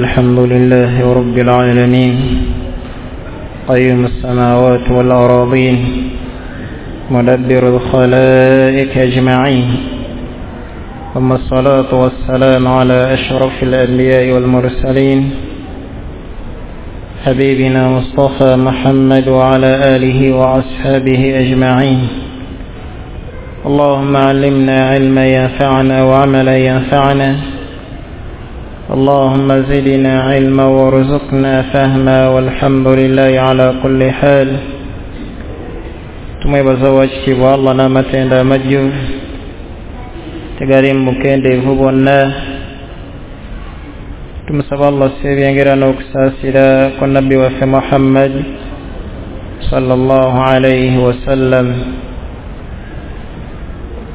الحمد لله رب العالمين قيوم السماوات والأراضين مدبر الخلائق أجمعين ثم الصلاة والسلام على أشرف الأنبياء والمرسلين حبيبنا مصطفى محمد وعلى آله وأصحابه أجمعين. اللهم علمنا علما ينفعنا وعملا ينفعنا، اللهم زدنا علما وارزقنا فهما، والحمد لله على كل حال. Tumwebaza wakitiibwa Allah n'amatendo amajjuvu tegali mu bukendeevu bwonna. Tumusaba Allah ebyengera n'okusaasira ku nabbi waffe Muhammad sallallahu alayhi wasallam.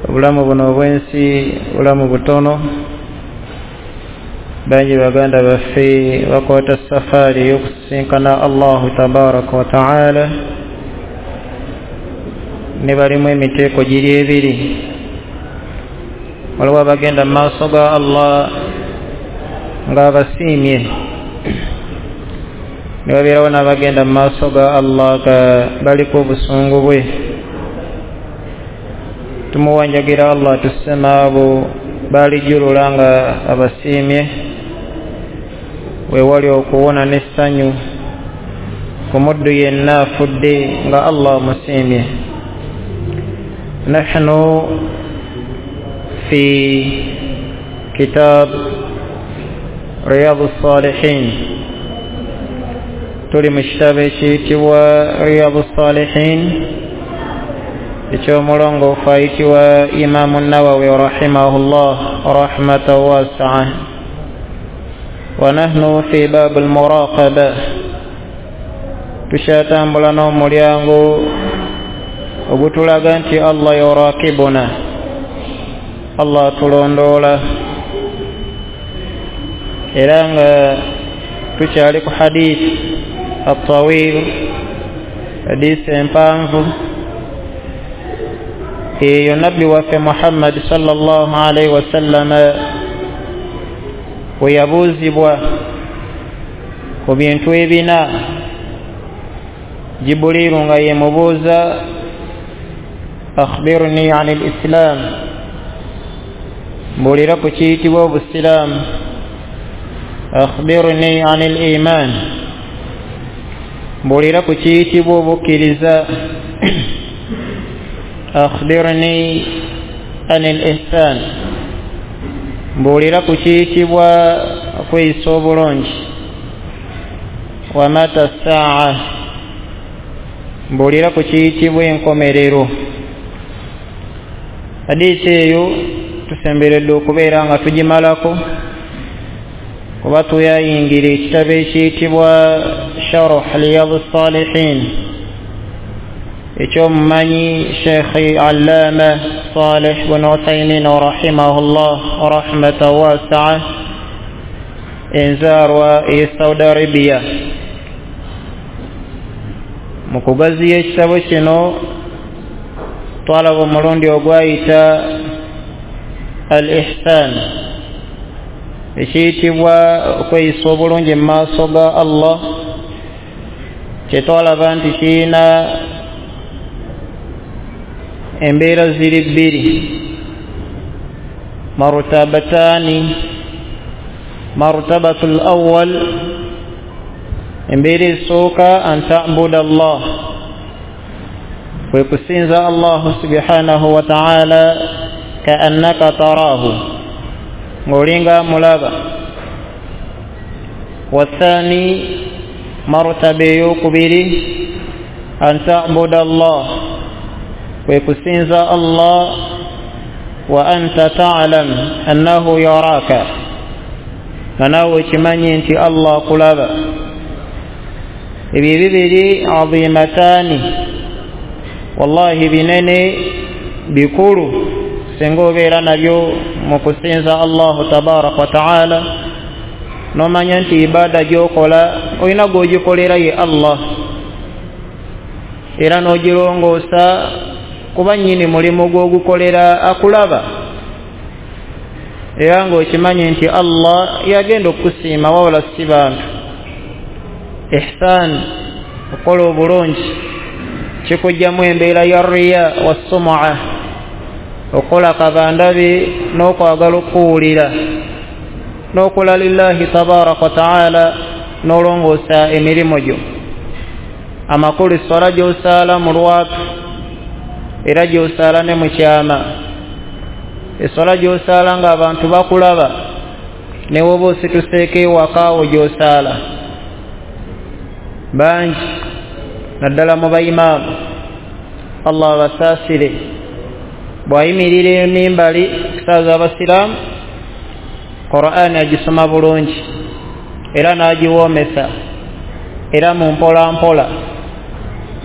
Obulamu buno obw'ensi bulamu butono, bangi baganda baffe bakwata safaari ey'okusisinkana Allahu tabaraka wa taala, ne balimu emiteeko giri ebiri. Waliwo abagenda mu maaso ga Allah ng'abasiimye, ne babeerawo n'abagenda mu maaso ga Allah nga baliko obusungu bwe. Tumuwanjagira Allah tussema abo balijjulula nga abasiimye, weewali okuwona n'essanyu ku muddu yenna afudde nga Allah amusiimye. Nahnu fi kitab Riyadu Salihin, tuli mu kitabo ekiyitibwa Riyadu Salihin eky'omulongoofu ayitibwa Imamu Nawawi rahimahullah rahmatan wasi'a. Wa nahnu fi baabu al-muraqaba, tukyatambula n'omulyango ogutulaga nti Allah yurakibuna, Allah atulondoola. Era nga tukyali ku hadith at-tawil, hadith empanvu eyo nabbi waffe Muhammad sallallahu alayhi wasallam we yabuuzibwa ku bintu ebina. Jibuliru nga yemubuuza akhbirni ani al-islam, mbuulira ku kiyitibwa obusiraamu. Akhbirni ani al-iman, mbuulira ku kiyitibwa obukkiriza. Akhbirni ani al-ihsan, mbuulira ku kiyitibwa okweyisa obulungi. Wa mata saa, mbuulira ku kiyitibwa enkomerero. Hadiisi eyo tusemberedde okubeera nga tugimalako, kuba tuyayingira ekitabo ekiyitibwa Sharh Riyadu Salihin ekyomumanyi Sheikh Allama Salih bin Uthaymin rahimahullah rahmatan wasi'a, enzaarwa e Saudi Arabia. Mu kugaziya ekitabo kino twalaba omulundi ogwayita al-ihsan, ekiyitibwa okweyisa obulungi mu maaso ga Allah, kyetwalaba nti kirina embeera ziri bbiri, martabatani. Martabatu al-awwal, embeera esooka an ta'buda Allah, kwe kusinza Allah subhanahu wa ta'ala ka'annaka tarahu, ng'olinga mulaba. Wathani, martaba ey'okubiri an ta'buda Allah, kwe kusinza Allah wa anta ta'lam annahu yaraka, nga naawe okimanyi nti Allah akulaba. Ebyo bibiri azimatani, wallahi binene bikulu singa obeera nabyo mu kusinza Allahu tabaraka wa taala, n'omanya nti ibaada gy'okola olina gw'ogikolera ye Allah, era n'ogirongoosa kuba nnyini mulimu gw'ogukolera akulaba. Era ng'okimanyi nti Allah yagenda okukusiima wabula si bantu. Ihsan, okukola obulungi kikugyamu embeera ya riya wassumua, okukola kabandabi n'okwagala okuwulira, n'okola lillahi tabaraka wa taala, n'olongoosa emirimu gyo. Amakulu esswala gy'osaala mu lwatu era gy'osaala ne mu kyama, esswala gy'osaala ng'abantu bakulaba ne woba osituseeko ewaka wo gy'osaala. Bangi naddala mu bayimaamu, Allah abasaasire, bw'ayimirira emimbali okusaaza abasiraamu, Qur'ani agisoma bulungi era n'agiwoomesa era mu mpola mpola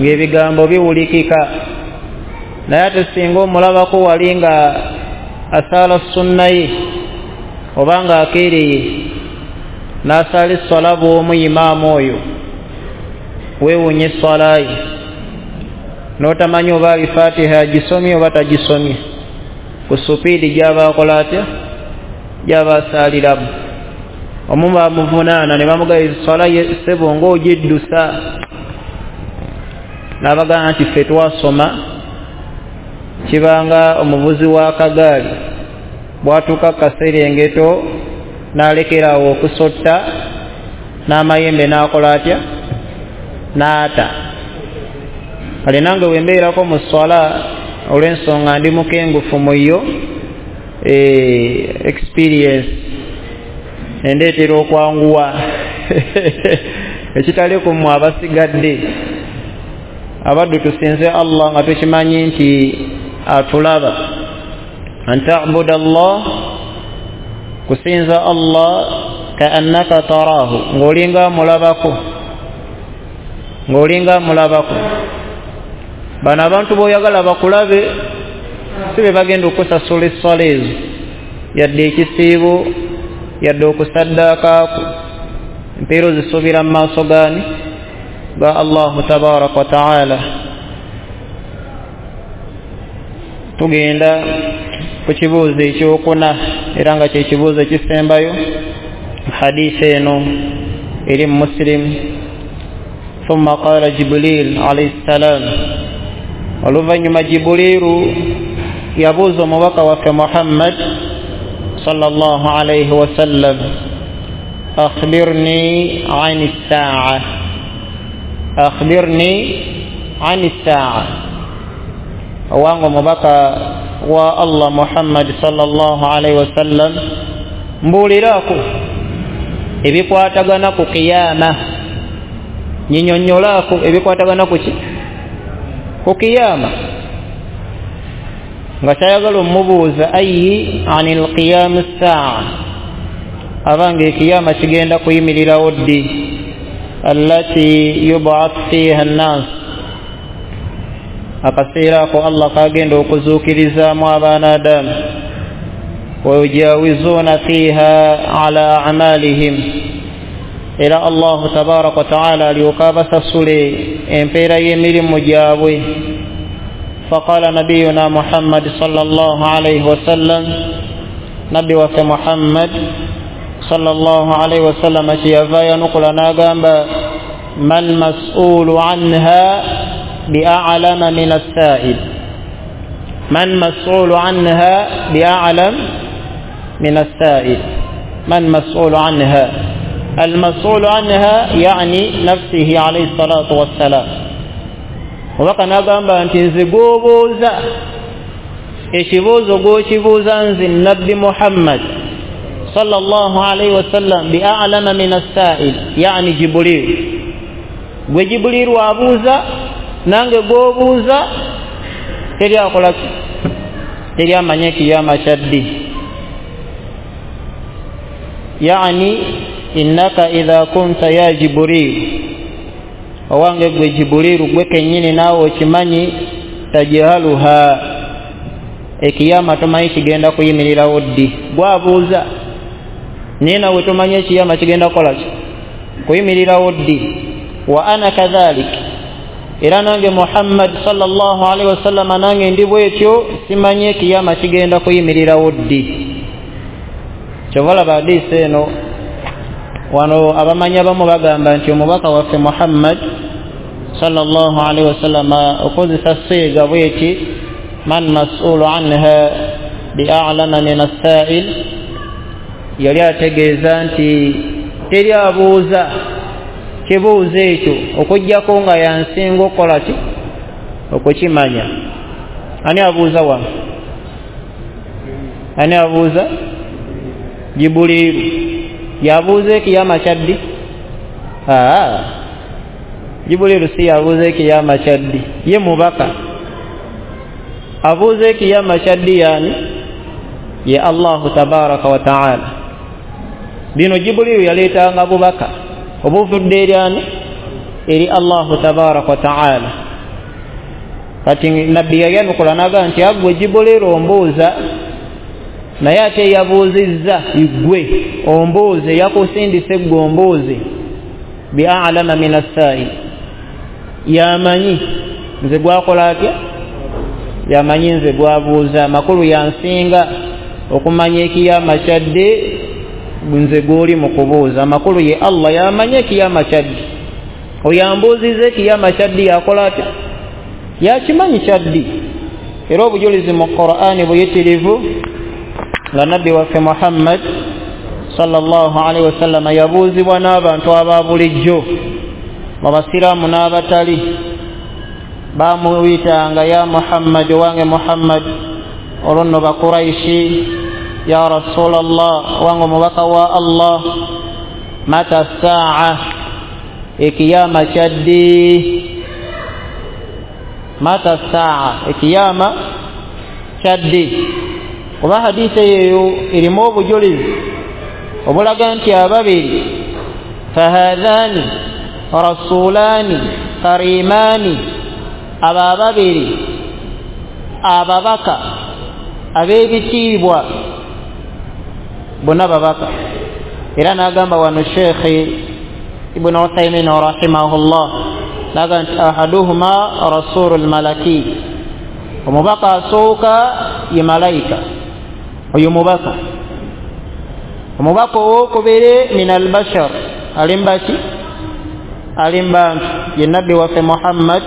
ng'ebigambo biwulikika. Naye ate singa omulabako wali nga asaala sunna ye oba nga akeereye n'asaala esswala bw'omu imaamu oyo, weewuunya esswala ye n'otamanyi oba alifatiha agisomye oba tagisomye, ku supiidi gy'aba akola atya, gy'aba asaaliramu. Omu bamuvunaana ne bamugamba esswala ye ssebo ng'ogiddusa, n'abagamba nti ffe twasoma. Kibanga omuvuzi w'akagaali bw'atuuka ku kaserengeto n'alekeraawo okusotta n'amayembe n'akola atya, n'ata. Kale nange bwe mbeerako mu sswala olw'ensonga ndi mukengufu mu yo, experience endeetera okwanguwa ekitali ku mmwe abasigadde. Abaddu tusinze Allah nga tukimanyi nti atulaba. An ta'buda Allah, kusinza Allah ka'annaka tarahu, ng'olinga amulabako, ng'olinga amulabako. Bano abantu b'oyagala bakulabe si be bagenda okusasula esswala ezo, yadde ekisiibo, yadde okusaddaakaako. Empeera ozisuubira mu maaso gaani? Ga Allahu tabaraka wa taala. Tugenda ku kibuuzo ekyokuna era nga kyekibuuzo ekisembayo. Hadisi eno eri mu Muslim. Thumma qala Jibril alayhi salam, oluvannyuma Jibuliru yabuuza omubaka waffe Muhammad sallallahu alayhi wasallam, akhbirni ani ssaa, akhbirni ani ssaa. Owange omubaka wa Allah Muhammad sallallahu alayhi wasallam, mbuuliraako ebikwatagana ku kiyama, nyinyonnyolaako ebikwatagana ku ki? Ku kiyama. Nga kyayagala omubuuza ayi anil qiyam ssaa, abange ekiyama kigenda kuyimirirawo ddi? Allati yub'ath fiha an-nas, akaseera ako Allah kagenda okuzuukirizaamu abaana Adamu. Wayujawizuna fiha ala a'malihim, era Allahu tabaraka wa taala alyoka abasasule empeera y'emirimu gyabwe. Faqala nabiyuna Muhammad sallallahu alayhi wasallam, nabbi waffe Muhammad sallallahu alayhi wasallam kyeyava yanukula n'agamba, mal mas'ulu anha bi'a'lama min as-sa'il, man mas'ulu anha bi'a'lam min as-sa'il, man mas'ulu anha, al-mas'ulu anha yani nafsihi alayhi salatu wassalam. Omubaka n'agamba nti nze gw'obuuza ekibuuzo gw'okibuuza nze nabbi Muhammad sallallahu alayhi wasallam bi'a'lama min as-sa'il, yani Jibril. Gwe Jibril abuuza nange gw'obuuza, teri akola ki? Teri amanye kiyama kya ddi. Yani innaka idha kunta ya Jibril, owange gwe Jibrilu gwe kennyini naawe okimanyi, tajahaluha, ekiyama tomanyi kigenda kuyimirirawo ddi. Gwabuuza naye nawe tomanyi ekiyama kigenda kukola ki? Kuyimirirawo ddi. Wa ana kadhalik, era nange Muhammad sallallahu alaihi wasallam nange ndi bwetyo, simanyi ekiyama kigenda kuyimirirawo ddi. Kyova olaba hadiisi eno wano abamanyi abamu bagamba nti omubaka waffe Muhammad sallallahu alaihi wasallam okozesa siiga bweti man mas'ulu anha bi'alama min as-sa'il, yali ategeeza nti teri abuuza kibuuzo ekyo okuggyako nga yansinga okukola ki okukimanya. Ani abuuza wano? Ani abuuza? Jibuliiru yabuuza ekiyama kyaddi? Jibuliiru si yabuuza ekiyama kyaddi, ye mubaka. Abuuza ekiyama kyaddi yani ye Allahu tabaraka wa taala. Bino Jibuliiru yaleetanga bubaka obuvudde eri ani? Eri Allahu tabaraka wa taala. Kati nabbi yayanukula n'agamba nti aggwe Jibuliiru ombuuza, naye ate yabuuzizza ggwe ombuuze, yakusindise ggwe ombuuze bi'alama min as-sa'il, yamanyi nze gwakola atya, yamanyi nze gwabuuza, amakulu yansinga okumanya ekiyama kyadde nze gw'oli mu kubuuza. Amakulu ye Allah yamanyi ekiyama kyadde, oyo ambuuziza ekiyama kyadde yakola atya, yakimanyi kyaddi. Era obujulizi mu Qur'ani buyitirivu nga nabbi waffe Muhammad sallallahu alaihi wasallam yabuuzibwa n'abantu aba bulijjo mu basiraamu n'abatali, bamuyitanga ya Muhammad, wange Muhammad, olwo nno Bakuraishi, ya Rasulallah, wange omubaka wa Allah, mata saa, ekiyama kyaddi? Mata saa, ekiyama kyaddi? Kuba hadithi eyo erimu obujulizi obulaga nti ababiri fahadhani rasulani karimani, aba ababiri ababaka ab'ebitiibwa bonna babaka. Era n'agamba wano Sheikh Ibn Uthaymin rahimahullah n'agamba nti ahaduhuma rasulul malaki, omubaka asooka ye malayika, oyo mubaka. Omubaka owokubiri min albashar, alimbaki alimbantu, ye nabbi waffe Muhammad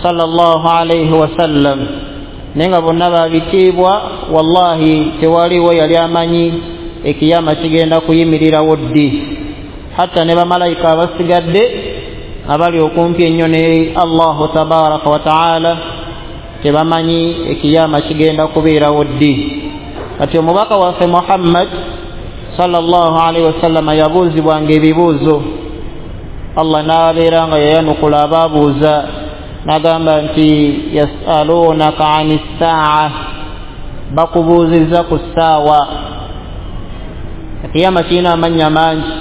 sallallahu alaihi wasallam. Naye nga bonna babitiibwa, wallahi tewaliwo yali amanyi ekiyama kigenda kuyimirirawo ddi. Hatta ne bamalayika abasigadde abali okumpi ennyo ne Allahu tabaraka wa taala tebamanyi ekiyama kigenda kubeerawo ddi. Kati omubaka waffe Muhammad sallallahu alaihi wasallam yabuuzibwanga ebibuuzo, Allah n'abeera nga yayanukula abaabuuza n'agamba nti yasalunaka ani ssaa, bakubuuzizza ku ssaawa. Ekiyama kirina amannya mangi,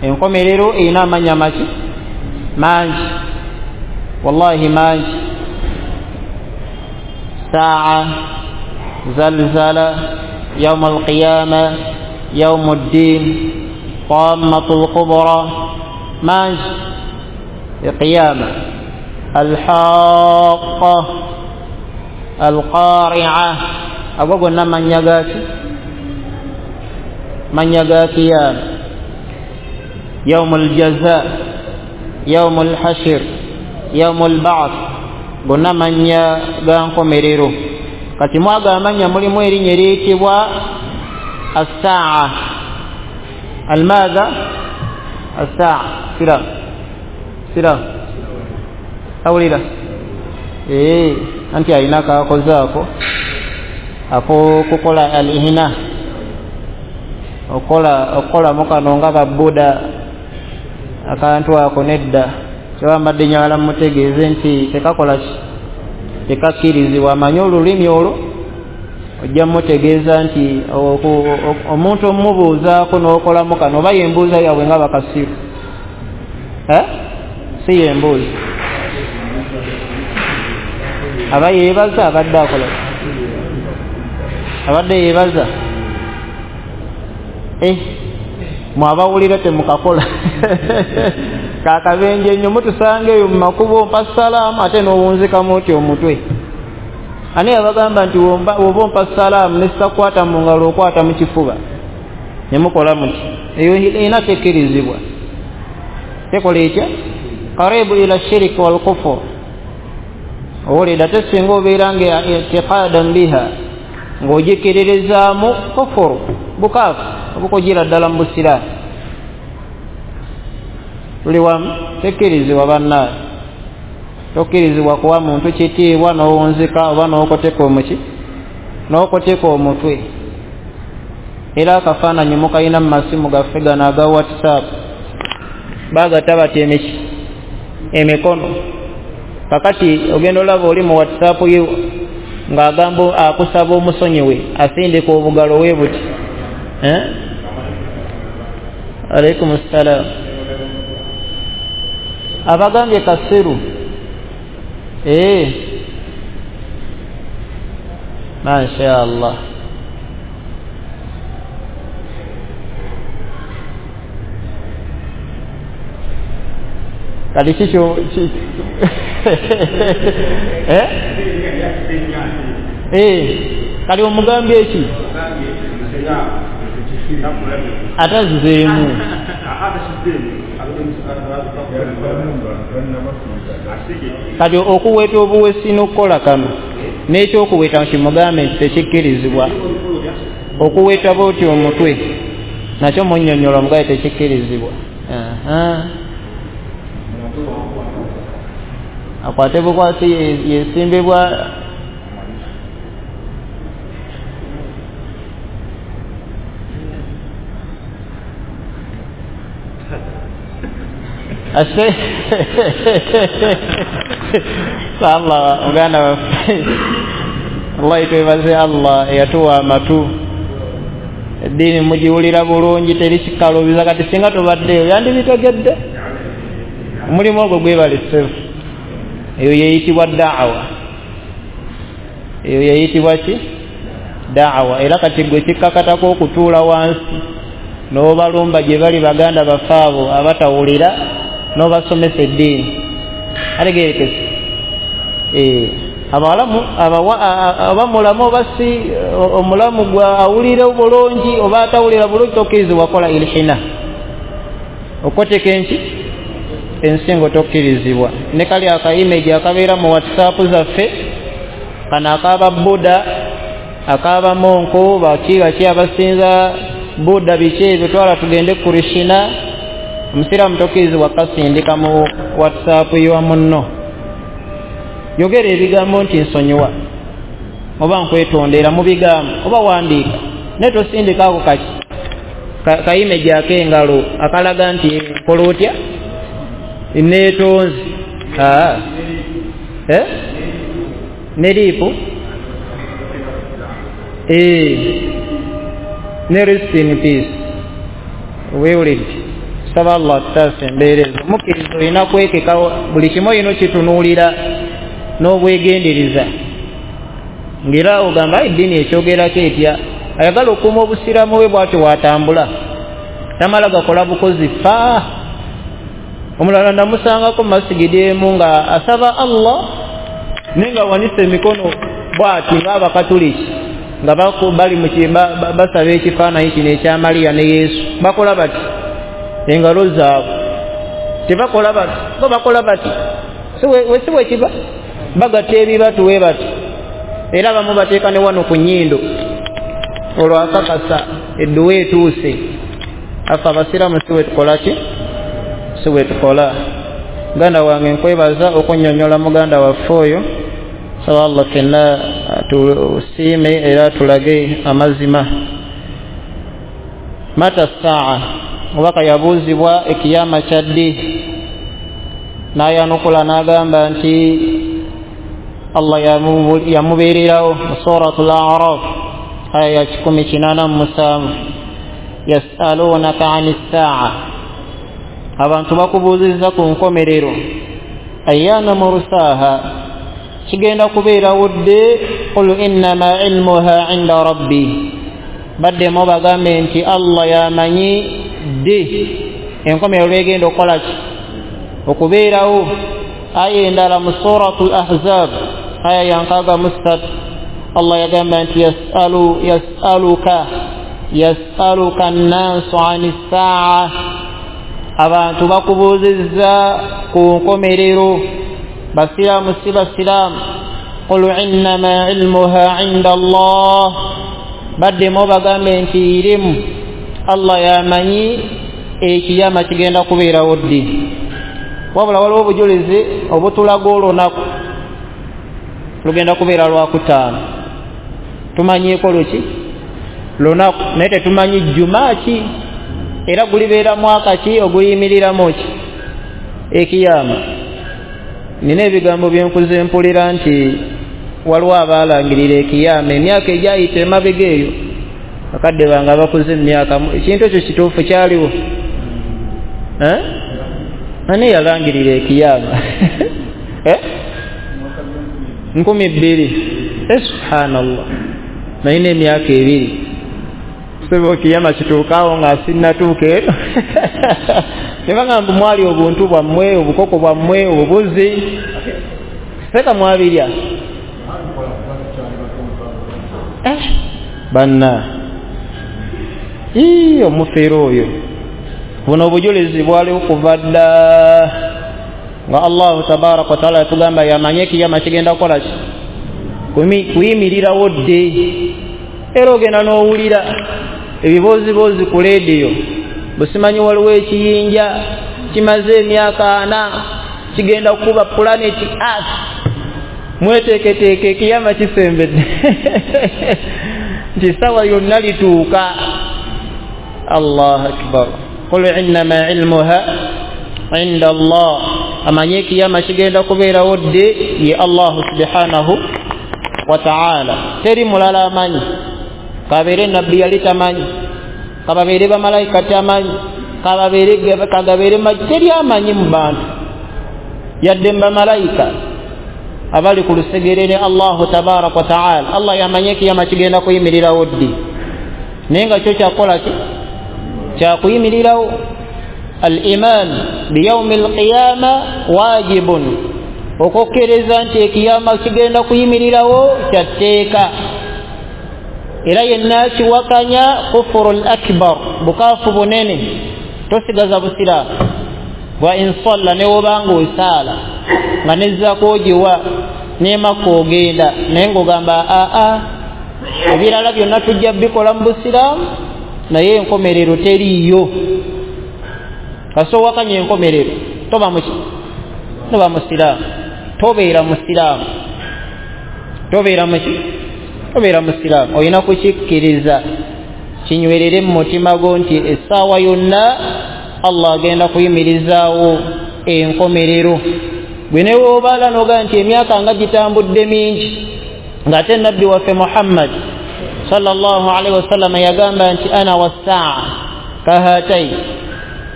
enkomerero erina amannya maki mangi, wallahi mangi. Saa, zalzala, yauma alqiyama, yaumu ddin, tammatu lkubra, mangi. Eqiyama, alhaqa, alqari'a, ago gonna mannya gaki? Mannya ga kiyama. Yaumu aljaza, yaumu alhashir, yaumu alba'th, gonna mannya ga nkomerero. Kati mwaga amannya mulimu erinnya eriyitibwa assaa. Almadha? Assaa. Sira sira awulira anti alina kakoze ako akokukola alihina, okukolamu kano nga babuda akantu ako nedda. Kyewambadde njagala mmutegeeze nti tekakola ki, tekakkirizibwa. Amanyi olulimi olwo ojja mmutegeeza nti omuntu omubuuzaako n'okolamu kano oba yembuuza yaabwe nga bakasiru, si yembuuza aba yeebaza, abadde akola abadde yeebaza. Mwabawulira temukakola kakabenje nnyo, mutusanga eyo mu makubo mpa salaamu ate n'owunzikamu otyo omutwe. Ani yabagamba nti oba ompa salaamu nesitakwata mu ngalo okwata mu kifuba nemukola muti? Eyo ina tekkirizibwa. Tekola etya? Karibu ila shiriki wal kufur. Owulira ate singa obeera nga itiqadan biha, ng'ogikiririzaamu kufuru, bukaafu obukugira ddala mu busiraamu. Tuli wamu? Tekkirizibwa bannaaye. Tokkirizibwa kuwa muntu kitiibwa n'owunzika oba n'okoteka omuki n'okoteka omutwe. Era akafaananyi mukayina mu masimu gaffe gano aga WhatsApp, bagatta bati emiki emikono. Kakati ogenda olaba oli mu WhatsApp yo ng'agamba akusaba omusonyiwe, asindika obugalo we buti. Alaikum ssalaam. Abagambye kasiru. Masha Allah. Kati kikyo kali omugambye eki atazizeemu. Kati okuweta obuwesi n'okukola kano n'ekyokuweta kimugambe nti tekikkirizibwa. Okuweta bw'oti omutwe nakyo munnyonnyola mugaye tekikkirizibwa. Akwate bukwasi yesimbibwa. Ase Allah muganda waffe, Allah twebaze Allah eyatuwa amatu. Eddiini mugiwulira bulungi, teri kikaluubiza. Kati singa tobaddeyo yandibitegedde. Omulimu ogwo gwebale ssefu. Eyo yeyitibwa da'awa. Eyo yeyitibwa ki? Da'awa. Era kati gwe kikkakatako okutuula wansi n'obalumba gye bali baganda baffe abo abatawulira n'obasomesa eddiini. Ategeerekese. Abalamu oba mulamu oba si omulamu gwa awulira bulungi oba atawulira bulungi, tokkirizibwa kola ilhina. Okoteka enki ensingo tokkirizibwa. Ne kali aka image akabeera mu WhatsApp zaffe kano akaba Buddha, akaba monko, baki baki abasinza Buddha biki ebyo, twala tugende Krishna. Omusiraamu tokkirizibwa kasindika mu WhatsApp y'owa munno. Yogera ebigambo nti nsonyiwa oba nkwetondera mu bigambo oba wandiika, naye tosindika ako kaki ka image ak'engalo akalaga nti nkola otya neetonze. Ne liipu ne rest in peace. Weewulidde. Saba Allah atutaase embeera ezo. Omukkiriza olina kwekeka buli kimu, olina okitunuulira n'obwegendereza. Ng'era ogamba eddiini ekyogerako etya? Ayagala okukuuma obusiraamu bwe bw'atyo bw'atambula, tamala gakola bukozi fa. Omulala namusangako mu masigidi emu nga asaba Allah naye nga awanise emikono bw'ati ng'abakatuliki nga bali basaba ekifaananyi kino ekya Mariya ne Yesu. Bakola bati engalo zaabwe, tebakola bati, bo bakola bati. Si bwe kiba bagatta ebibatu we bati, era abamu bateeka ne wano ku nnyindo olwo akakasa edduwa etuuse. Afe abasiraamu si bwe tukola ki? Si bwe tukola. Muganda wange nkwebaza okunnyonnyola muganda waffe oyo. Saba Allah ffenna tusiime era tulage amazima. Mata saa, omubaka yabuuzibwa ekiyama kya ddi, n'ayanukula n'agamba nti Allah yamubeererawo mu Suratul A'raf aya ya 187, yasalunaka ani saa, abantu bakubuuzizza ku nkomerero, ayyana mursaha, kigenda kubeerawo ddi? Qul innama ilmuha inda rabbi, baddemu bagambe nti Allah yamanyi ddi enkomerero lwegenda okukola ki? Okubeerawo. Aya endala mu Suratul Ahzab Aya ya 63 Allah yagamba nti yasaluka an-nasu 'ani s-sa'a, abantu bakubuuzizza ku nkomerero, basiraamu si basiraamu. Qul innama ilmuha 'inda Allah, baddemu bagambe nti irimu Allah yamanyi ekiyama kigenda kubeerawo ddi. Wabula waliwo obujulizi obutulaga olunaku lugenda kubeera lwakutaano, tumanyiiko luki lunaku, naye tetumanyi jjuma ki era gulibeera mwaka ki oguyimiriramu ki ekiyama. Nina ebigambo byenkuze mpulira nti waliwo abaalangirira ekiyama emyaka egyayita emabega eyo, bakadde bange abakuze emyaka, ekintu ekyo kituufu kyaliwo? Ani yalangirira ekiyama? 2000. Subhanallah, nalina emyaka 2 sebo ekiyama kituukaawo nga sinnatuuka eno. Nebagamba mwali obuntu bwammwe, obukoko bwammwe, obubuzi, seka mwabirya. Banna omufeero oyo. Buno obujulizi bwaliwo kuva dda nga Allahu tabaraka wataala yatugamba yamanye ekiyama kigenda kukola ki, kuyimirirawo dde. Era ogenda n'owulira ebibooziboozi ku leediyo, busimanyi waliwo ekiyinja kimaze emyaka 4 kigenda kukuba planet Earth, mweteeketeeke ekiyama kisembedde nti essaawa yonna lituuka. Allahu akbar. Qul innama ilmuha inda Allah, amanye ekiyama kigenda kubeerawo dde ye Allahu subhanahu wa ta'ala, teri mulala amanyi. Kabeere nabbi yali tamanyi, kababeere bamalayika tamanyi, kagabeere teri amanyi mu bantu yadde bamalayika abali ku lusegere ne Allahu tabaraka wa ta'ala. Allah yamanye ekiyama kigenda kuyimirirawo ddi, naye nga kyo kyakola ki kyakuyimirirawo. Al-iman biyawmi al-qiyama wajibun, okukkkiriza nti ekiyama kigenda kuyimirirawo kyatteeka. Era yenna kiwakanya kufuru al-akbar, bukafu bunene, tosigaza busiraamu. Wa in salla, ne wobanga osaala nga nezzaako ogiwa nemaka ogenda, naye ng'ogamba aa ebirala byonna tujja bikola mu busiraamu naye enkomerero teriiyo. Kasita owakanya enkomerero toba musiraamu, tobeera musiraamu, tobeera muki, tobeera musiraamu. Olina kukikkiriza kinywerere mu mutima gwo nti essaawa yonna Allah agenda kuyimirizaawo enkomerero. Gwe ne woobala n'ogaa nti emyaka nga gitambudde mingi, ng'ate nabbi waffe Muhammad sallallahu alaihi wasallam yagamba nti ana wassaa kahatai,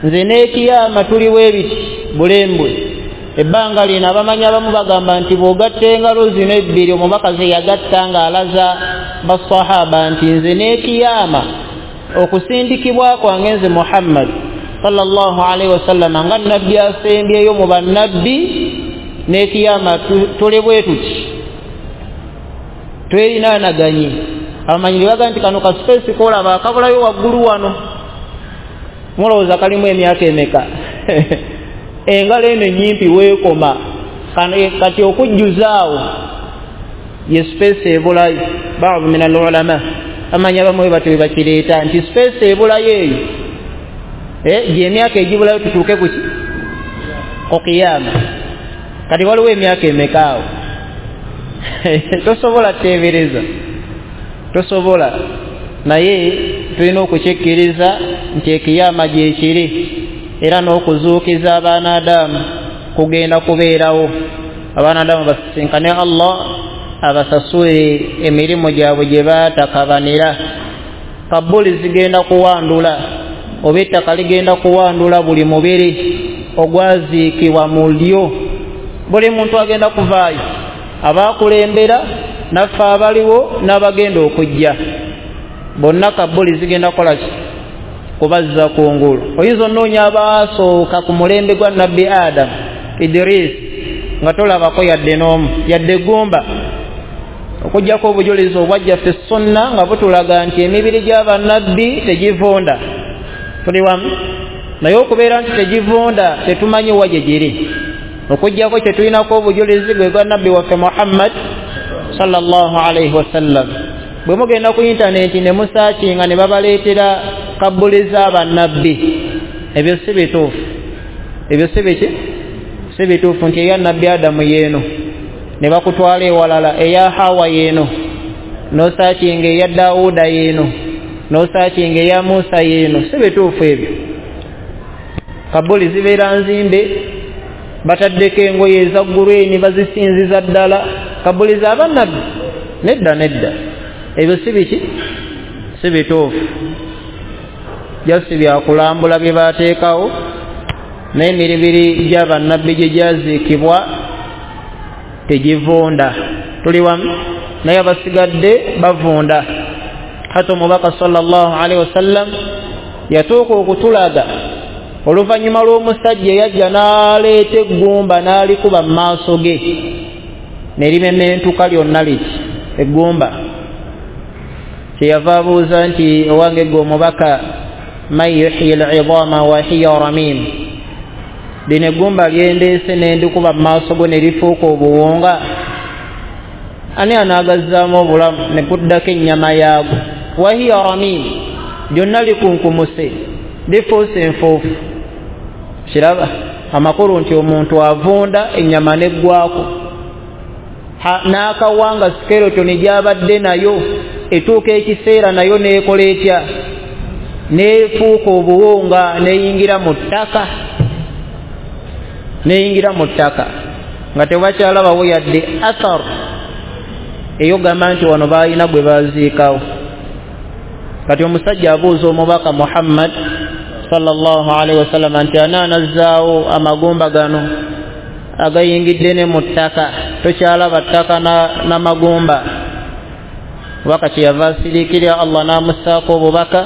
nze n'ekiyama tuliwo ebiti bulembwe. Ebbanga lino abamanyi abamu bagamba nti bw'ogatta engalo zino ebbiri, omubaka ze yagatta ng'alaza basahaba nti nze n'ekiyama okusindikibwa kwange nze Muhammad sallallahu alaihi wasallam nga nabbi asembyeyo mu bannabbi, n'ekiyama tuli bwe tuti twerinaanaganye. Abamanyi baga nti kano ka space kolaba akabulayo waggulu wano, mulowooza kalimu emyaka emeka? Engalo eno ennyimpi weekoma kati okujjuzaawo ye space ebulayo. Baadhi min al-ulama amanyi abamu bwe batyo bakireeta nti space ebulayo eyo gy'emyaka egibulayo tutuuke kuki ku kiyama. Kati waliwo emyaka emeka awo? Tosobola teebereza, tosobola. Naye tulina okukikkiriza nti ekiyama gyekiri, era n'okuzuukiza abaana Adamu kugenda kubeerawo. Abaana Adamu basisinkane Allah abasasule emirimu gyabwe gye baatakabanira. Kabuli zigenda kuwandula, oba ettaka ligenda kuwandula buli mubiri ogwaziikibwa mu lyo. Buli muntu agenda kuvaayo, abakulembera naffe abaliwo n'abagenda okujja, bonna kabuli zigenda kukola ki? Kubazza kungulu. Oyinza onoonya abaasooka ku mulembe gwa nabbi Adamu, Idris, nga tolabako yadde n'omu yadde eggumba, okuggyako obujulizi obwajja ffe sunna nga butulaga nti emibiri gy'abannabbi tegivunda. Tuli wamu? Naye okubeera nti tegivunda tetumanyi wa gye giri, okuggyako kye tulinako obujulizi gwe gwa nabbi waffe Muhammad sallallahu alaihi wasallam. Bwe mugenda ku intaneti ne musaakinga ne babaleetera kabbuli z'abannabbi, ebyo si bituufu. Ebyo si biki? Si bituufu nti eya nabbi Adamu yeeno, ne bakutwala ewalala, eya Hawa yeeno, n'osaakinga eya Dawuda yeeno, n'osaakinga eya Musa yeeno. Si bituufu ebyo. Kabbuli zibeera nzimbe, bataddeko engoye eza gureni bazisinziza ddala. Kabbuli z'abannabbi nedda nedda, ebyo si biki? Si bituufu. Jasi byakulambula bye bateekawo, n'emibiri gy'abannabbi gye gyaziikibwa tegivunda. Tuli wamu? Naye abasigadde bavunda. Hata omubaka sallallahu alaihi wasallam yatuuka okutulaga oluvannyuma lw'omusajja eyajja n'aleeta eggumba n'alikuba mu maaso ge ne limementuka lyonna liti eggumba. Kyeyava abuuza nti owange gwe omubaka, man yuhyi al-idhama wa hiya ramim, lino eggumba lyendeese nendikuba mu maaso go ne lifuuka obuwunga, ani anaagazzaamu obulamu ne guddako ennyama yaago? Wa hiya ramim, lyonna likunkumuse, lifuuse enfuufu. Kiraba amakulu nti omuntu avunda ennyama neggwako, n'akawanga skeleton gy'abadde nayo etuuka ekiseera nayo neekola etya? Neefuuka obuwunga, neyingira mu ttaka, neyingira mu ttaka nga tebakyalabawo yadde athar eyogamba nti wano baalina gwe baziikawo. Kati omusajja abuuza omubaka Muhammad sallallahu alaihi wasallam nti anaanazzaawo amagumba gano agayingidde ne mu ttaka, tokyalaba ttaka n'amagumba. Omubaka kyeyava asiriikirira Allah n'amussaako obubaka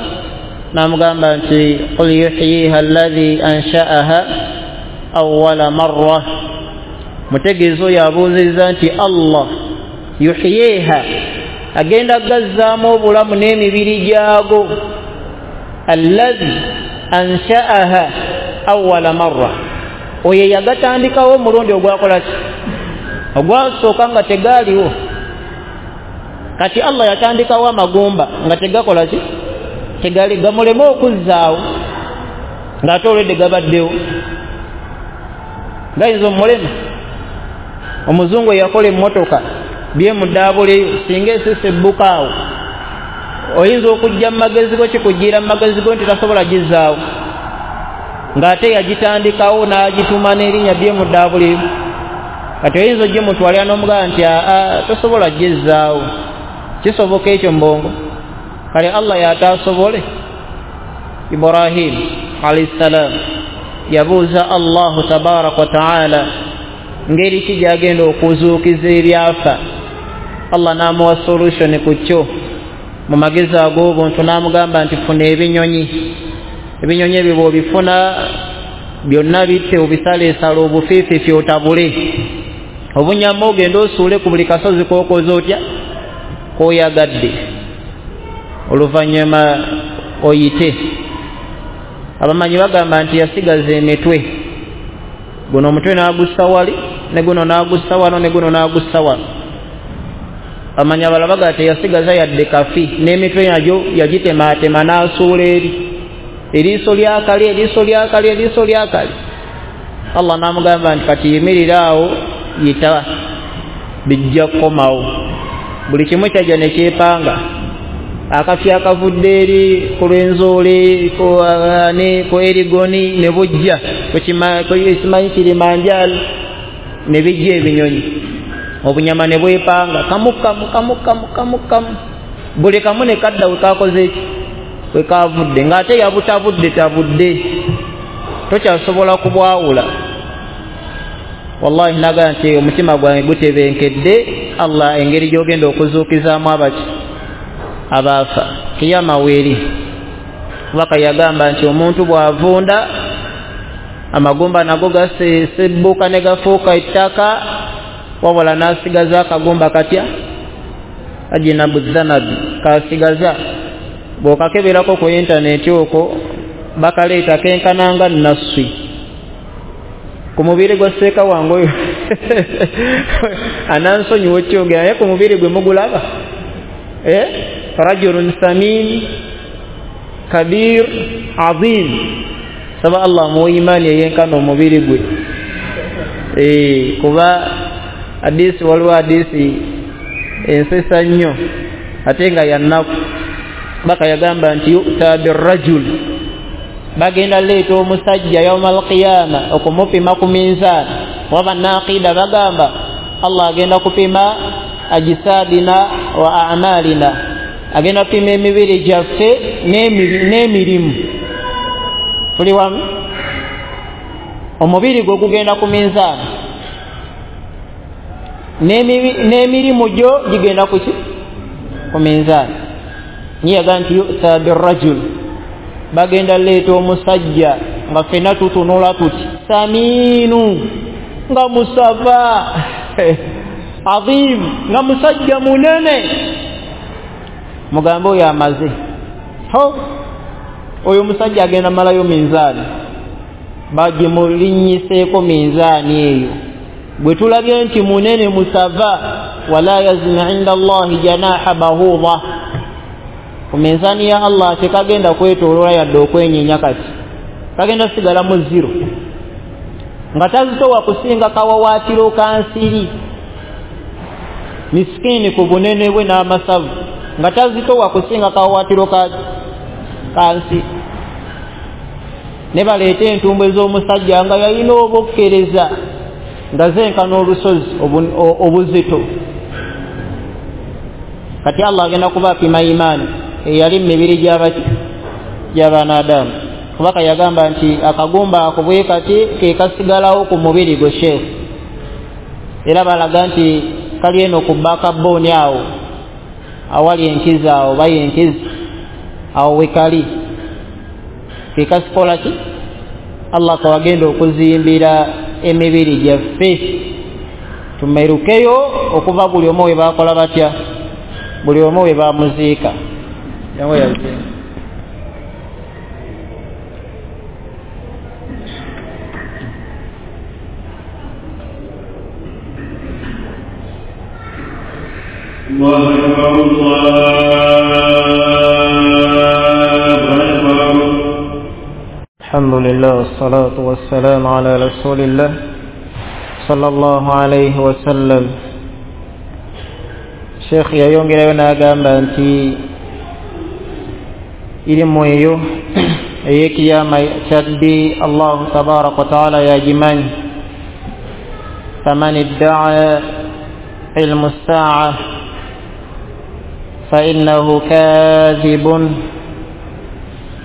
n'amugamba nti qul yuhyiha alladhi ansha'aha awwala marra. Mutegeeza oyo abuuzizza nti Allah yuhyiha, agenda gazzaamu obulamu n'emibiri gyago, alladhi ansha'aha awwala marra, oyo yagatandikawo omulundi ogwakola ki? Ogwasooka nga tegaaliwo. Kati Allah yatandikawo amagumba nga tegakola ki? Tegali, gamuleme okuzzaawo ng'ate olwedde gabaddewo. Gayinza omulema. Omuzungu eyakola emmotoka byemudaabuleyo, singa esisi ebbuka awo oyinza okujja mu magezi go, kikujjira mu magezi go nti tasobola gizzaawo, ng'ate yagitandikawo n'agituma n'erinnya byemudaabuleyo. Kati oyinza ogimutwalira n'omugamba nti aa tosobola gizzaawo. Kisoboka ekyo mbongo? Kale Allah yataasobole. Ibrahim alayhi salam yabuuza Allahu tabaraka wa taala ngeri ki gyagenda okuzuukiza ebyafa. Allah n'amuwa solution ku kyo mu magezi ag'obuntu, n'amugamba nti funa ebinyonyi, ebinyonyi ebyo bw'obifuna byonna bitte, obisaleesale obufiifiifi otabule obunyama, ogende osuule ku buli kasozi k'okoze otya k'oyagadde, oluvannyuma oyite. Abamanyi bagamba nti yasigaza emitwe, guno omutwe n'agussa wali, ne guno n'agussa wano, ne guno n'agussa wano. Abamanyi abalala bagamba teyasigaza yadde kafi, n'emitwe nagyo yagitemaatema n'asuula eri, eriiso lyakali, eriiso lyakali, eriiso lyakali. Allah n'amugamba nti kati yimirira awo, yita, bijja kukomawo. Buli kimu kyajja ne kyepanga, akafi akavudde eri ku Lwenzole, ku Erigoni ne bujja simanyi Kilimanjaro, ne bijja ebinyonyi, obunyama ne bwepanga kamu kamu kamu kamu kamu kamu, buli kamu ne kadda we kakoze eki, we kavudde, ng'ate yabutabudde tabudde, tokyasobola kubwawula. Wallahi naga nti omutima gwange gutebenkedde Allah engeri gy'ogenda okuzuukizaamu abaki abaafa. Kiyama weeri. Waka yagamba nti omuntu bw'avunda Amagumba nago gasebbuka ne gafuuka ettaka, wabula n'asigaza akagumba katya ajinabu dhanabi kasigaza. Bw'okakeberako ku intaneti okwo bakaleeta kenkananga nasswi ku mubiri gwa seeka wange oyo anansonyiwa okyogera, naye ku mubiri gwe mugulaba rajulun samin kabir azim. Saba Allah amuwe imaani eyenkana omubiri gwe. Kuba hadisi, waliwo hadisi ensesa nnyo ate nga yannaku. Baka yagamba nti yu'ta birrajul, bagenda leeta omusajja yauma alqiyama okumupima ku minzaani. Waba naqida bagamba Allah agenda kupima ajisadina wa a'malina, agenda kupima emibiri gyaffe n'emirimu. Tuli wamu? Omubiri gwe gugenda ku minzaani n'emirimu gyo gigenda kuki? Ku minzaani. Niyaga nti yu'ta birrajul, bagenda leeta omusajja nga ffenna tutunula tuti samiinu, nga musava azim, nga musajja munene. Mugambe oyo amaze, ho oyo musajja agenda malayo minzaani, bagimulinnyiseeko minzaani eyo. Bwe tulabye nti munene musava, wala yazina inda Allahi janaha bahuda, ku minzaani ya Allah tekagenda kwetooloola yadde okwenyeenya, kati kagenda sigala mu zero, nga tazitowa kusinga kawawaatiro ka nsiri. Misikini ku bunene bwe n'amasavu, nga tazitowa kusinga kawawaatiro ka nsi. Ne baleeta entumbwe z'omusajja nga yalina obukkereza nga zenkana olusozi obuzito. Kati Allah agenda kubapima imaani eyali mu mibiri gy'abaanaadamu. Kubaka yagamba nti akagumba ako bwe kati ke kasigalawo ku mubiri gwe sheekh. Era balaga nti kali eno ku backbone awo awali enkizi awo bayi enkizi awo wekali ke kasikola ki Allah kawagenda okuzimbira emibiri gyaffe tumerukeyo okuva buli omu we bakola batya, buli omu we bamuziika. الله أكبر الله أكبر. الحمد لله والصلاة والسلام على رسول الله صلى الله عليه وسلم. Sheikh yayongerayo n'agamba nti ilimu eyo ey'ekiyama kyaddi Allahu tabaraka wa taala yagimanyi. Faman iddaa ilmu ssaa fa innahu kadhibun,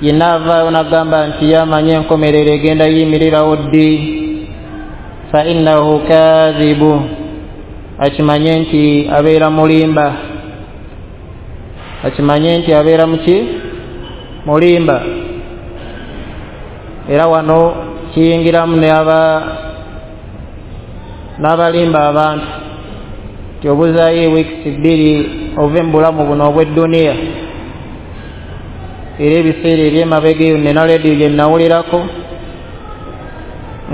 yennaavaayo n'agamba nti yamanyi enkomerero egenda yimirirawo ddi, fa innahu kadhibu, akimanye nti abeera mulimba, akimanye nti abeera muki mulimba. Era wano kiyingiramu n'abalimba abantu nti obuzaayo wiikisi 2 ove mu bulamu buno obw'edduniya. Era ebiseera eby'emabega eyo nina leediyo gye nnawulirako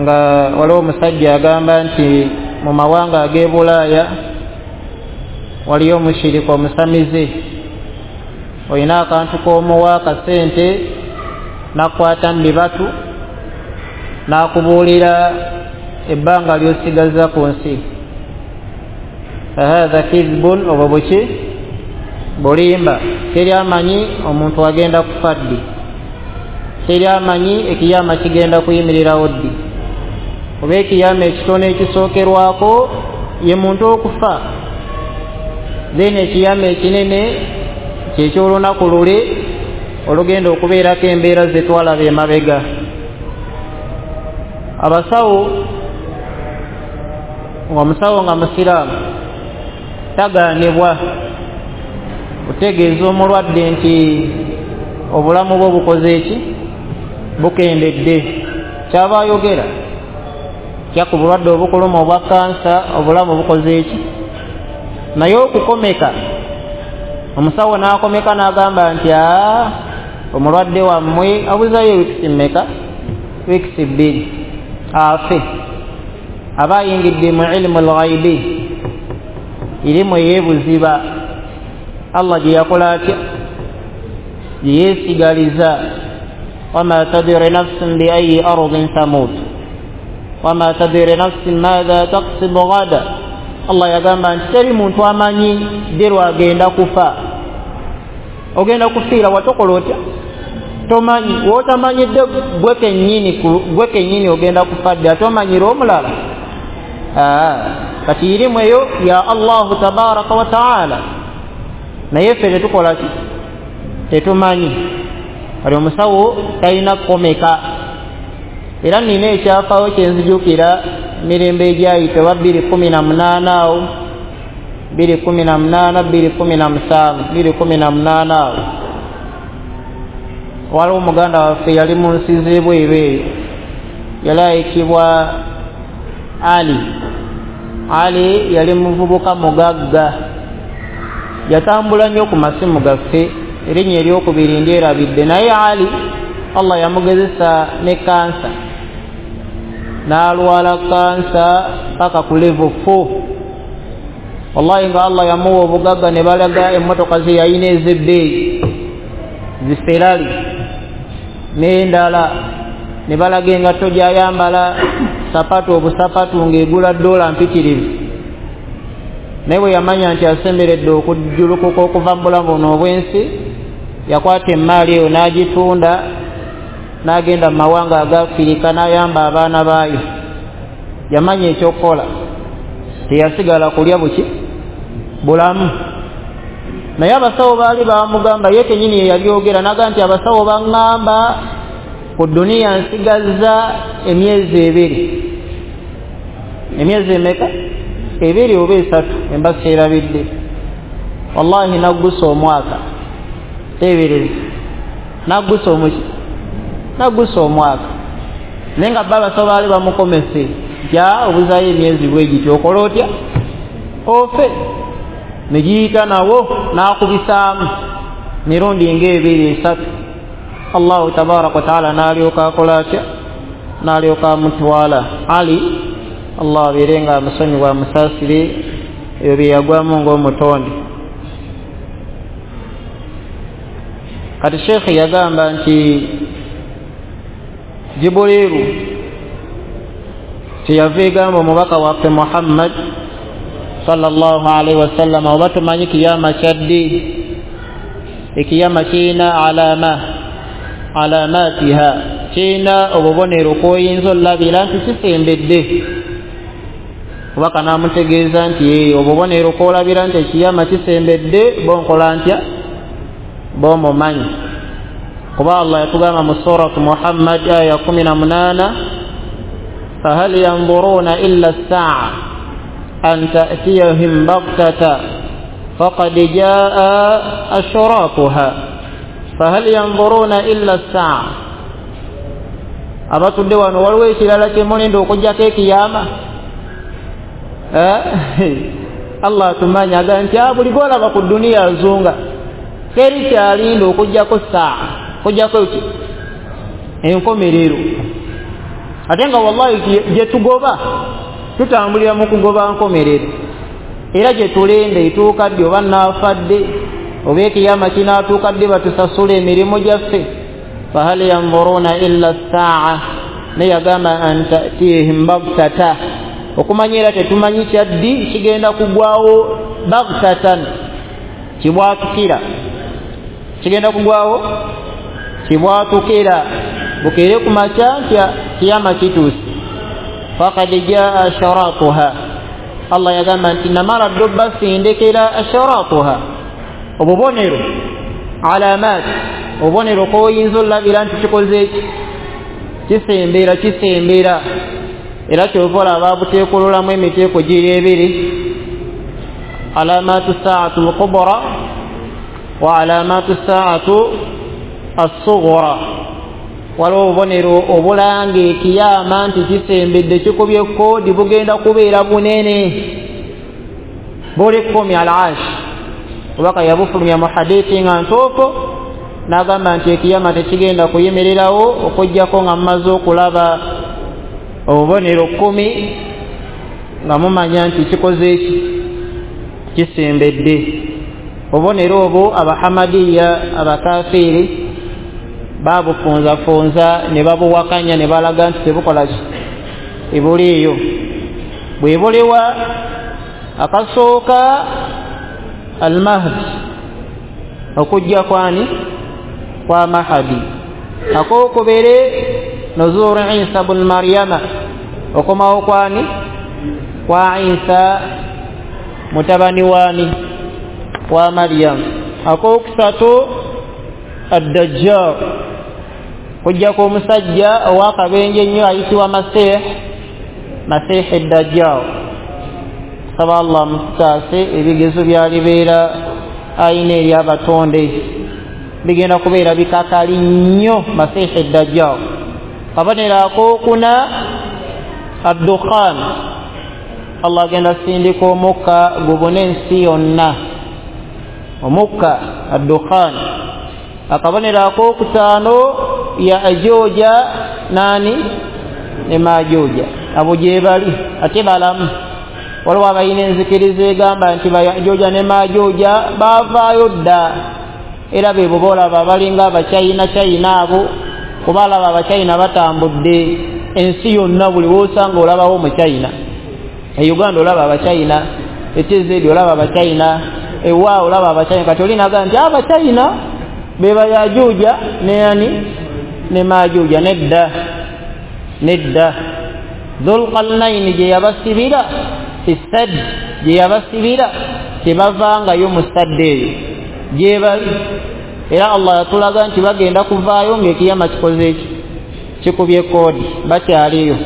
nga waliwo omusajja agamba nti mu mawanga ag'e Bulaaya waliyo omushirika omusamize, olina akantu k'omuwa akasente n'akwata mu bibatu n'akubuulira ebbanga ly'osigaza ku nsi. Fahatha kizbun, obwo buki bulimba. Teri amanyi omuntu agenda kufa ddi, teri amanyi ekiyama kigenda kuyimirirawo ddi. Oba ekiyama ekitono ekisookerwako ye muntu okufa, then ekiyama ekinene kyeky'olunaku luli olugenda okubeerako embeera ze twalaba emabega. Abasawo, ng'omusawo nga musiraamu tagaanibwa kutegeeza omulwadde nti obulamu bwe bukoze eki bukendedde. Kyaba ayogera kya ku bulwadde obukuluma obwa kansa, obulamu bukoze eki. Naye okukomeka, omusawo n'akomeka n'agamba nti omulwadde wammwe abuzayo wiikisi mmeka? Wiikisi 2 afe. Aba ayingidde mu ilimu lghaibi, irimu eyeebuziba Allah gye yakola atya, gye yeesigaliza. Wama tadiri nafsin bi ayi ardin tamut wama tadiri nafsin madha taksibu gada. Allah yagamba nti teri muntu amanyi ddi lwagenda kufa. Ogenda kufiira watokola otya? Tomanyi. W'otamanyidde gwe kennyini ogenda kufa ddi, ate omanyire omulala. Kati irimu eyo ya Allahu tabaraka wa taala, naye ffe tetukola ki? Tetumanyi. Kati omusawo talina kukomeka. Era nina ekyafaawo kyenzijukira mirembe egyayita oba 2018 awo, 2018 2017 2018 awo, waliwo omuganda waffe yali mu nsi z'ebweru eyo, yali ayitibwa Ali. Ali yali muvubuka mugagga, yatambula nnyo ku masimu gaffe, erinnya eryokubiri ndyerabidde. Naye Ali Allah yamugezesa ne kansa, n'alwala kansa paka ku level 4. Wallahi nga Allah yamuwa obugagga, ne balaga emmotoka ze yalina ez'ebbeeyi ziferali n'endala, ne balaga engatto gy'ayambala, sapatu obusapatu ng'egula $mpitirivu. Naye bwe yamanya nti asemberedde okujjulukuka okuva mu bulamu buno obw'ensi, yakwata emmaali eyo n'agitunda n'agenda mu mawanga aga Afirika n'ayamba abaana baayo. Yamanya ekyokukola, teyasigala kulya buki bulamu. Naye abasawo baali bamugamba, ye kennyini ye yabyogera, n'agamba nti abasawo baŋŋamba ku duniya nsigazza emyezi 2. Emyezi emeka? 2 oba 3, emba seerabidde. Wallahi naggusa omwaka, teebereza, naggusa omuki, naggusa omwaka. Naye nga bo abasawo baali bamukomese nti obuzaayo emyezi bwe gityo, okola otya? Ofe. Ne giyita nawo n'akubisaamu mirundi ng'ebiri 3. Allahu tabaraka wa taala n'alyoka akola atya? N'alyoka amutwala. Ali Allah abeere nga amusonyiwa amusaasire ebyo bye yagwamu ng'omutonde. Kati Sheikh yagamba nti Jibuliru kyeyava egamba omubaka waffe Muhammad sallallahu alaihi wasallam, oba tumanyi kiyama kyaddi? Ekiyama kirina alama, alamatiha, kirina obubonero kw'oyinza olabira nti kisembedde. Kubaka n'amutegeeza nti obubonero kw'olabira nti ekiyama kisembedde, bonkola ntya? Bomumanyi. Kuba Allah yatugamba mu suratu Muhammad aya 18, fahal yanzuruna illa as-sa'a an ta'tiyahum baghtata faqad jaa ashratuha. Fahal yanzuruna illa as-sa'a. Abatudde wano waliwo ekirala kye mulinda okujjako ekiyama? Allah atumanya, agamba nti buli gw'olaba ku duniya azunga, teri kyalinda okujjako saa, okujjako ki? Enkomerero. Ate nga wallahi gye tugoba tutambulira mu kugoba nkomerero, era gye tulenda etuuka ddi, oba naafa ddi, oba ekiyama kinaatuuka ddi batusasula emirimu gyaffe. Fahal yanzuruna illa as-sa'a, naye yagamba an ta'tihim baghtata, okumanya era tetumanyi kyaddi kigenda kugwawo baghtatan, kibwatukira, kigenda kugwawo kibwatukira, bukeere ku makya nti kiyama kituuse. Faqad jaa asharatuha, Allah yagamba nti namala ddo basindikira asharatuha, obubonero, alamat, obubonero kw'oyinza olabira nti kikoze eki, kisembera, kisembera. Era kyova olaba buteekululamu emiteeko giri ebiri, alamatu saatu lkubra wa alamatu saatu assughra. Waliwo obubonero obulanga ekiyama nti kisembedde, kikubye koodi, bugenda kubeera bunene, buli 10 al-ash. Obubaka yabufulumya mu hadithi nga ntuufu, n'agamba nti ekiyama tekigenda kuyimirirawo okuggyako nga mumaze okulaba obubonero 10 nga mumanya nti kikoze eki, kisembedde. Obubonero obwo abahamadiya abakafiiri babufunzafunza ne babuwakanya ne balaga nti tebukola ki, ebuliiyo. Bwe buliwa akasooka al-Mahdi, okujja kwani kwa Mahdi. Akookubiri nuzuru Isa bun Maryama, okomawo kwani kwa Isa mutabani wani wa Maryam. Akookusatu ad-Dajjal, kujja kw'omusajja ow'akabenje ennyo ayitibwa Masih, Masih ad-Dajjal. Saba Allah mutaase ebigezo byalibeera ayina eri abatonde, bigenda kubeera bikakali nnyo Masih ad-Dajjal. Kabonero akookuna ad-Dukhan, Allah agenda sindika omukka gubune ensi yonna, omukka ad-Dukhan. Akabonero akookutaano ya Ajuja nani ne Majuja, abo gye bali ate balamu. Waliwo abalina enzikiriza egamba nti Bayajuja ne Majuja baavaayo dda, era be bo boolaba balinga Abachina China abo, kuba alaba Abachina batambudde ensi yonna, buli w'osanga olabawo Omuchina. E Uganda olaba Abachina, e TZ olaba Abachina, ewa olaba Abachina. Kati olinaga nti Abachina be Bayajuja ne ani ne Majuja. Nedda, nedda. Dhulqarnaini gye yabasibira fi sadd, gye yabasibira tebavangayo mu sadde eyo gye bali. Era Allah yatulaga nti bagenda kuvaayo ng'ekiyama kikoze eki, kikubye koodi, bakyaliyo,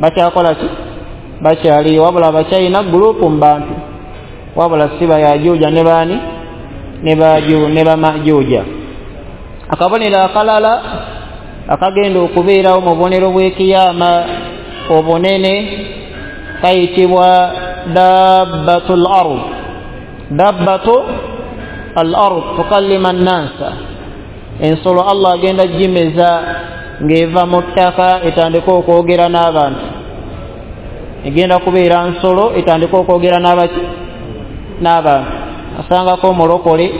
bakyakola ki, bakyaliyo. Wabula Abachina gurupu mu bantu, wabula si Bayajuja ne baani ne Bamajuja. Akabonero akalala akagenda okubeerawo mu bubonero bw'ekiyama obunene kayitibwa dabbatul ard. Dabbatu al-ard tukallima nnasa, ensolo Allah agenda gimeza ng'eva mu ttaka etandika okwogera n'abantu. Egenda kubeera nsolo etandika okwogera n'abaki, n'abantu. Asangako omulokole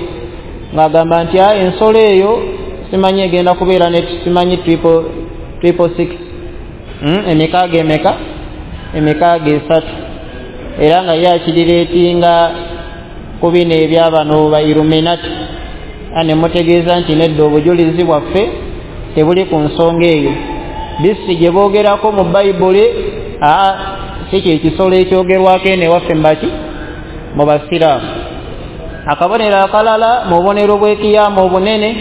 ng'agamba nti ensolo eyo simanyi egenda kubeera ne simanyi 666, emikaaga emeka, emikaaga 3, era nga ye akirireetinga ku bino ebyabano ba Illuminati. Ane mutegeeza nti nedda, obujulizi bwaffe tebuli ku nsonga eyo. Bisi gye boogerako mu Bayibuli si kye kisolo ekyogerwako eno ewaffe mbaki mu Basiraamu. Akabonero akalala mu bubonero bw'ekiyama obunene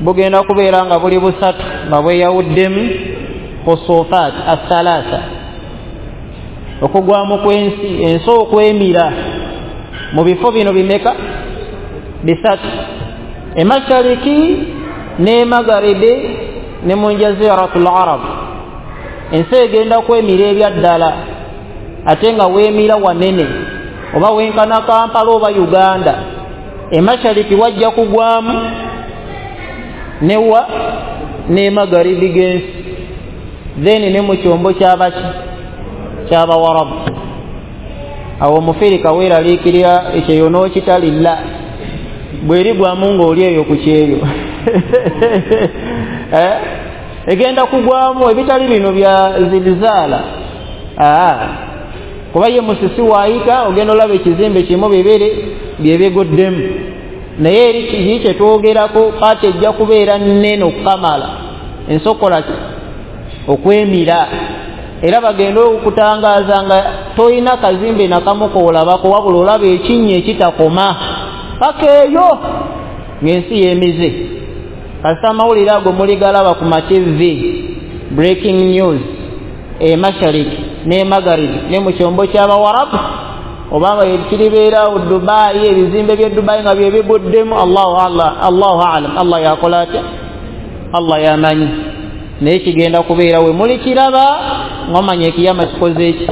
bugenda kubeera nga buli busatu nga bweyawuddemu khusufaat athalatha, okugwamu kw'ensi, ensi okwemira mu bifo bino bimeka, bisatu, emashariki n'emagaribi ne mu jaziratul arab. Ensi egenda kwemira ebyaddala, ate nga weemira wanene, oba wenkana Kampala oba Uganda. Emashariki wajja kugwamu newa n'emagaribi g'ensi, then ne mu kyombo kyabaki ky'abawarabu. Awo omufirika weeraliikirira ekyeyo n'okitalilla, bwerigwamu ng'oli eyo ku kyeyo egenda kugwamu ebitali bino bya zilzaala. Kuba ye musisi waayita ogenda olaba ekizimbe kimu bibiri byebigoddemu, naye eri kiki kye twogerako paati ejja kubeera nnene okukamala ensokola ki okwemira. Era bagenda okutangaaza nga toyina kazimbe nakamu koolabako, wabula olaba ekinnya ekitakoma paka eyo ng'ensi yeemize. Kasita amawulire ago muligalaba ku ma TV, breaking news, emashariki n'emagaribi ne mu kyombo ky'abawarabu, obanga kiribeera Dubai, ebizimbe by'e Dubai nga bye biguddemu. Allahu alam, Allah yakola atya, Allah yamanyi, naye kigenda kubeera we muli kiraba ng'omanya ekiyama kikoze eki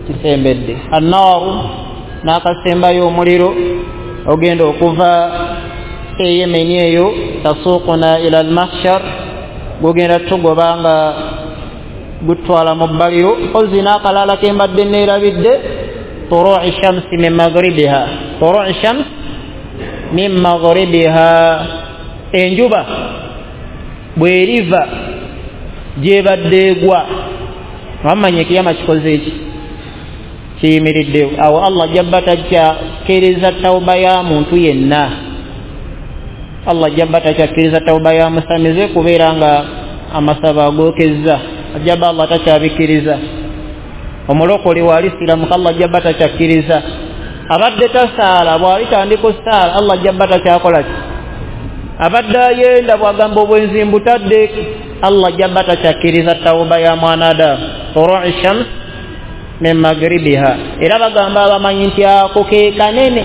kisembedde. Annaaru n'akasembayo omuliro ogenda okuva e Yemeni eyo tasuuquna ila almahshar, gugenda tugoba nga gutwala mu bbaliro. Mpozi n'akalala ke mbadde neerabidde, turu'i shamsi min maghribiha, turu'i shams min maghribiha, enjuba bw'eriva gyebadde egwa wamanya ekiyama kikoze eki kiyimiriddewo. Awo Allah jabba takyakkiriza tawuba ya muntu yenna, Allah jabba takyakkiriza tawuba ya musamize kubeera nga amasaba agookezza, ajaba Allah takyabikkiriza. Omulokole walisiramuka Allah jabba takyakkiriza. Abadde tasaala bw'alitandika osaala Allah jabba takyakola ki. Abadde ayenda bw'agamba obwenzi mbutadde, Allah jabba takyakkiriza tawuba ya mwanadamu. Turu'i shams min maghribiha. Era bagamba abamanyi nti ako ke kanene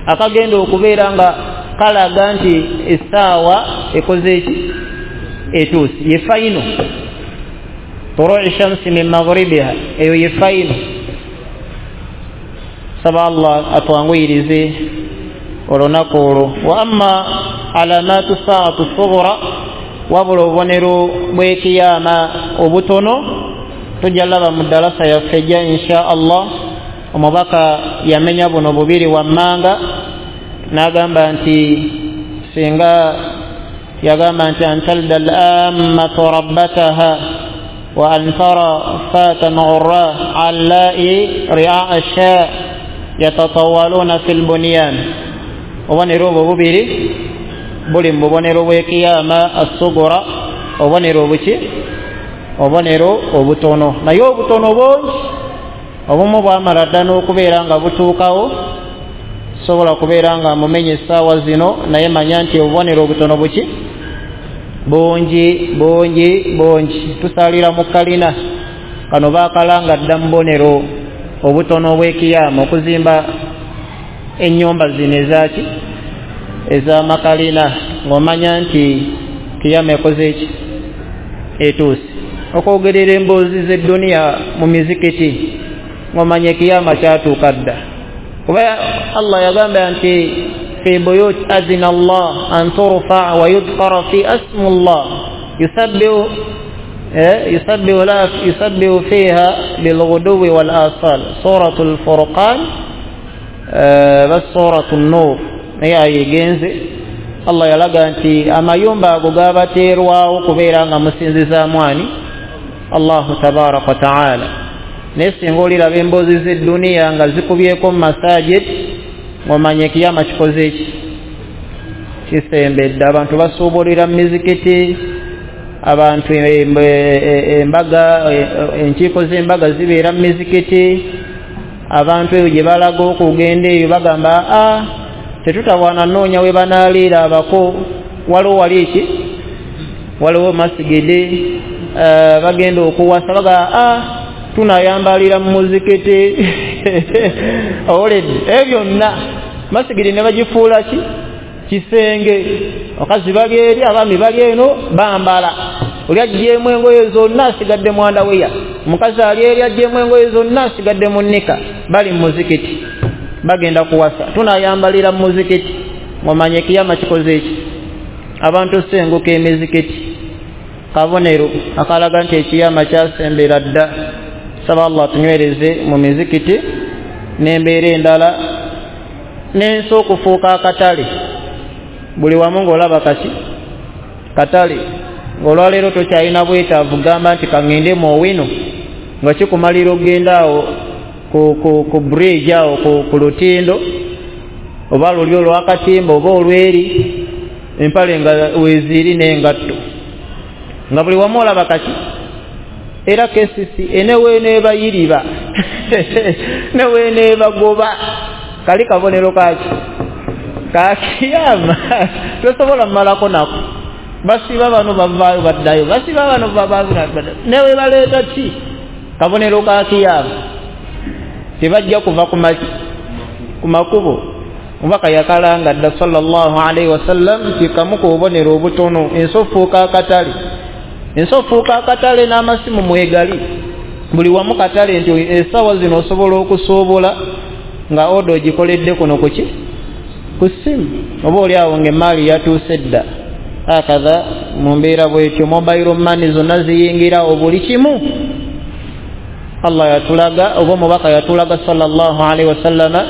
akagenda okubeera nga kalaga nti essaawa ekoze eki etuuse, ye fayino. Turu'i shamsi min maghribiha, eyo ye fayino. Saba Allah atwanguyirize olunaku olwo. Wa amma alamatu saatu sughra, wabula obubonero bw'ekiyama obutono tujja laba mu ddalasa yaffe ejja insha Allah. Omubaka yamenya buno bubiri wammanga n'agamba nti singa yagamba nti antalda al-ammatu rabbataha wa an tara fatan ghurra allai ri'a asha yatatawaluna fil bunyan. Obubonero obwo bubiri buli mu bubonero bw'ekiyama assugura, obubonero obuki, obubonero obutono. Naye obutono bungi, obumu bwamala dda n'okubeera nga butuukawo, sobola kubeera nga mumenye essaawa zino, naye manya nti obubonero obutono buki bungi bungi bungi. Tusaalira mu kalina kano baakalanga dda mu bubonero obutono obw'ekiyama, okuzimba ennyumba zino ezaaki ez'amakalina, ng'omanya nti kiyama ekoze eki etuuse. Okwogerera emboozi z'edduniya mu mizikiti ng'omanya ekiyama kyatuuka dda. Kuba Allah yagamba nti fi buyut azina Allah an turfa wa yudhkara fi asmu Allah yusabbihu yusabbihu fiha bilghuduwi wal asal. Suratul Furqan bas suratul Nur, naye ayegenze. Allah yalaga nti amayumba ago gabateerwawo kubeera nga musinzizaamu ani? Allahu tabaraka wa taala. Naye singa oliraba emboozi z'edduniya nga zikubyeko mu masajid, ng'omanya ekiyama kikoze eki kisembedde. Abantu basuubulira mu mizikiti, abantu embaga, enkiiko z'embaga zibeera mu mizikiti. Abantu eyo gye balaga okugenda eyo bagamba a tetutawaana nnoonya we banaaliira abako, waliwo wali eki, waliwo masigidi. Bagenda okuwasa baga a tunayambalira mu muzikiti. Owulidde ebyo byonna masigidi ne bagifuula ki kisenge. Abakazi bali eri, abaami bali eno, bambala. Oli aggyemu engoye zonna asigadde mu underwear, omukazi ali eri aggyemu engoye zonna asigadde mu nnika, bali mu muzikiti bagenda kuwasa, tunayambalira mu muzikiti. Ng'omanya ekiyama kikoze eki? Abantu senguka emizikiti, kabonero akalaga nti ekiyama kyasembera dda. Saba Allah tunywereze mu mizikiti n'embeera endala n'ensi okufuuka akatale. Buli wamu ng'olaba kaki katale, ng'olwaleero tokyalina bwetaavu gamba nti kaŋŋende mu Owino, nga kikumalira okugenda awo ku bridge awo ku lutindo oba luli olwakatimba oba olweri, empale nga weeziri n'engatto, nga buli wamu olaba kaki. Era KCC eneweneebayiriba neweneebagoba, kali kabonero kaki kakiyama. Tosobola mmalako nako. Basiba bano bavaayo baddayo, basiba bano bavaayo baddayo, newe baleeta ki? Kabonero ka kiyama. Tebajja kuva ku makubo. Omubaka yakalanga dda sallallahu alaihi wasallam nti kamu ku bubonero obutono ensi ofuuka akatale, ensi ofuuka akatale n'amasimu mwegali buli wamu katale, nti essaawa zino osobola okusuubula nga oda ogikoledde kuno kuki ku ssimu, oba oli awo ng'emmaali yatuuse dda. Hakadha mu mbeera bwetyo mobile money zonna ziyingirawo buli kimu. Allah yatulaga oba omubaka yatulaga sallallahu alaihi wasallama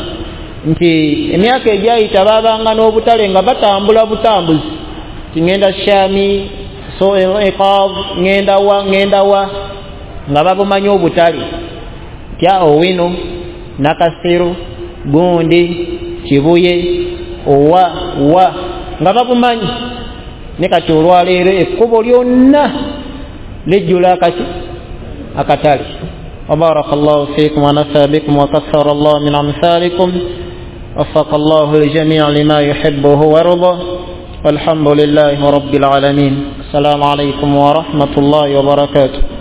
nti emyaka egyayita baabanga n'obutale nga batambula butambuzi, ti ngenda Shami so Iqab, ngenda wa ngenda wa, nga babumanyi obutale tya Owino, Nakasero, gundi Kibuye, owa wa, nga babumanyi. Ne kati olwaleero ekkubo lyonna lijjula akaki akatale. وبارك الله فيكم ونفع بكم وكثر الله من أمثالكم، وفق الله الجميع لما يحبه ويرضاه، والحمد لله رب العالمين. السلام عليكم ورحمة الله وبركاته.